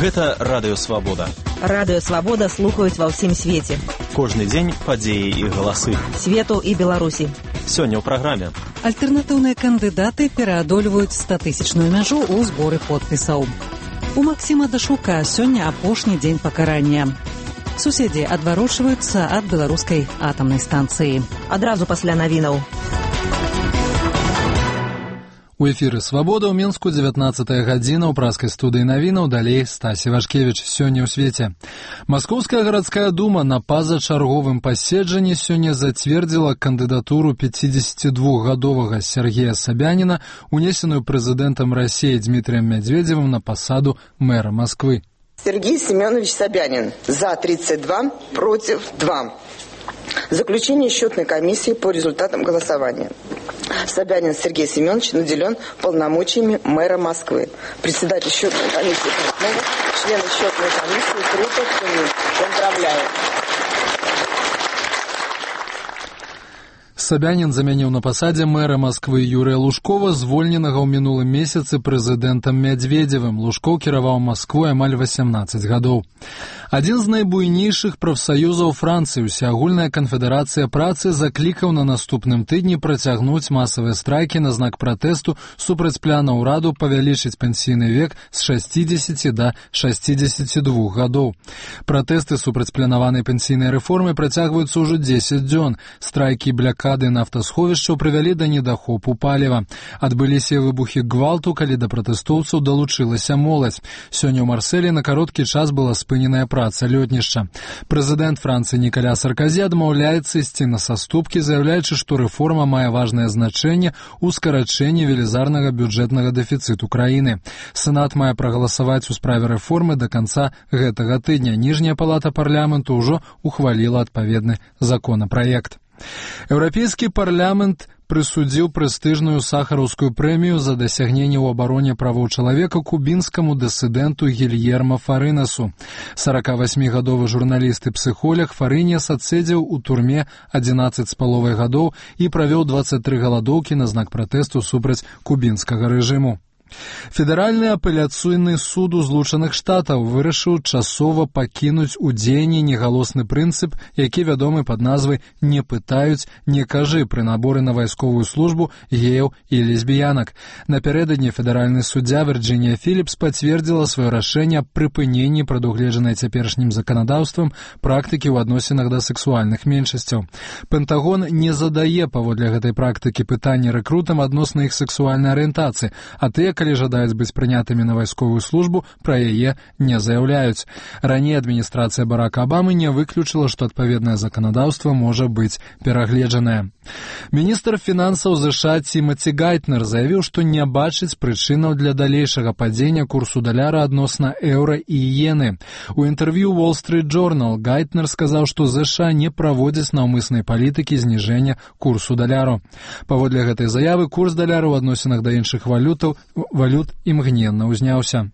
Гэта Радыё Свабода. Радыё Свабода слухаюць ва ўсім свеце. Кожны дзень падзеі і галасы. Свету і Беларусі. Сёння ў праграме. Альтэрнатыўныя кандыдаты пераадольваюць 100-тысячную мяжу ў зборы подпісаў. У Максіма Дашука сёння апошні дзень пакарання. Суседзі адварочваюцца ад беларускай атамнай станцыі. Адразу пасля навінаў. У эфіры «Свабода» ў Мінску 19-я гадзіна ў праскай студыі навінаў, далей Стасі Вашкевіч. Сёння ў свеце. Маскоўская гарадская дума на пазачарговым паседжанні сёння зацвердзіла кандыдатуру 52-гадовага Сергея Собяніна, унесеную прэзідэнтам Расіі Дмітрием Медведевым на пасаду мэра Москвы. Сергей Семенович Собянин. За 32, против 2. Заключение счетной комиссии по результатам голосования. Собянин Сергей Семенович наделен полномочиями мэра Москвы. Председатель счетной комиссии Портнова, члены счетной комиссии Крутов, поздравляю. Собянин заменил на посаде мэра Москвы Юрия Лужкова, звольненага ў мінулым месяцы прэзідэнтам Медведевым. Лужков кіраваў Москвой амаль 18 гадоў. Адзін з найбуйнейшых прафсаюзаў Францыі, Усеагульная канфедэрацыя працы, заклікаў на наступным тыдні працягнуць масавыя страйкі на знак пратэсту супраць пляна ўраду павялічыць пенсійны век з 60 да 62 гадоў. Пратэсты супраць планаванай пенсійнай рэформы працягваюцца ўжо 10 дзён. Страйкі блякады нафтасховішчаў прывялі да недахопу паліва. Адбыліся выбухі гвалту, калі да пратэстоўцаў далучылася моладзь. Сёння ў Марселі на кароткі час была спыненая праца лётнішча. Прэзідэнт Францыі Нікаля Сарказі адмаўляецца ісці на саступкі, заяўляючы, што рэформа мае важнае значэнне ў скарачэнні велізарнага бюджэтнага дэфіцыту краіны. Сенат мае прагаласаваць у справе рэформы да канца гэтага тыдня. Ніжняя палата парламенту ўжо ухваліла адпаведны законапраект. Еўрапейскі парламент прысудзіў прэстыжную сахараўскую прэмію за дасягненне ў абароне правоў чалавека кубінскаму дысідэнту Гільермо Фарынасу. 48-гадовы журналіст і псіхолог Фарынес адседзеў у турме 11,5 гадоў і правёў 23 галадоўкі на знак пратэсту супраць кубінскага рэжыму. Федэральны апеляцыйны суд у Злучаных Штатаў вырашыў часова пакінуць у дзеянні негалосны прынцып, які вядомы пад назвай «не пытаюць, не кажы» пры наборы на вайсковую службу геяў і лесбіянак. Напярэдадні федэральны суддзя Вірджынія Філіпс пацвердзіла сваё рашэнне аб прыпыненні прадугледжанай цяперашнім заканадаўствам практыкі ў адносінах да сэксуальных меншасцяў. Пентагон не задае паводле гэтай практыкі пытанні рэкрутам адносна іх сэксуальнай арыентацыі, а тыя, калі жадаюць быць прынятымі на вайсковую службу, пра яе не заяўляюць. Раней адміністрацыя Барака Абамы не выключыла, што адпаведнае заканадаўства можа быць перагледжанае. Міністр фінансаў ЗША Тимоті Гайтнер заявіў, што не бачыць прычынаў для далейшага падзення курсу даляра адносна еўра і іены. У інтэрв'ю Wall Street Journal Гайтнер сказаў, што ЗША не праводзяць наўмыснай палітыкі зніжэння курсу даляру. Паводле гэтай заявы курс даляра ў адносінах да іншых валют імгненна ўзняўся.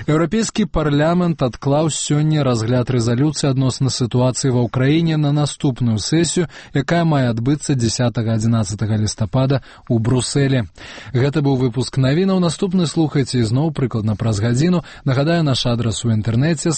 Еўрапейскі парламент адклаў сёння разгляд рэзалюцыі адносна сітуацыі ва ўкраіне на наступную сесію, якая мае адбыцца 10-11 лістапада ў Брусэлі. Гэта быў выпуск навінаў. Наступны слухайце ізноў прыкладна праз гадзіну. Нагадаю, наш адрас у інтэрнэце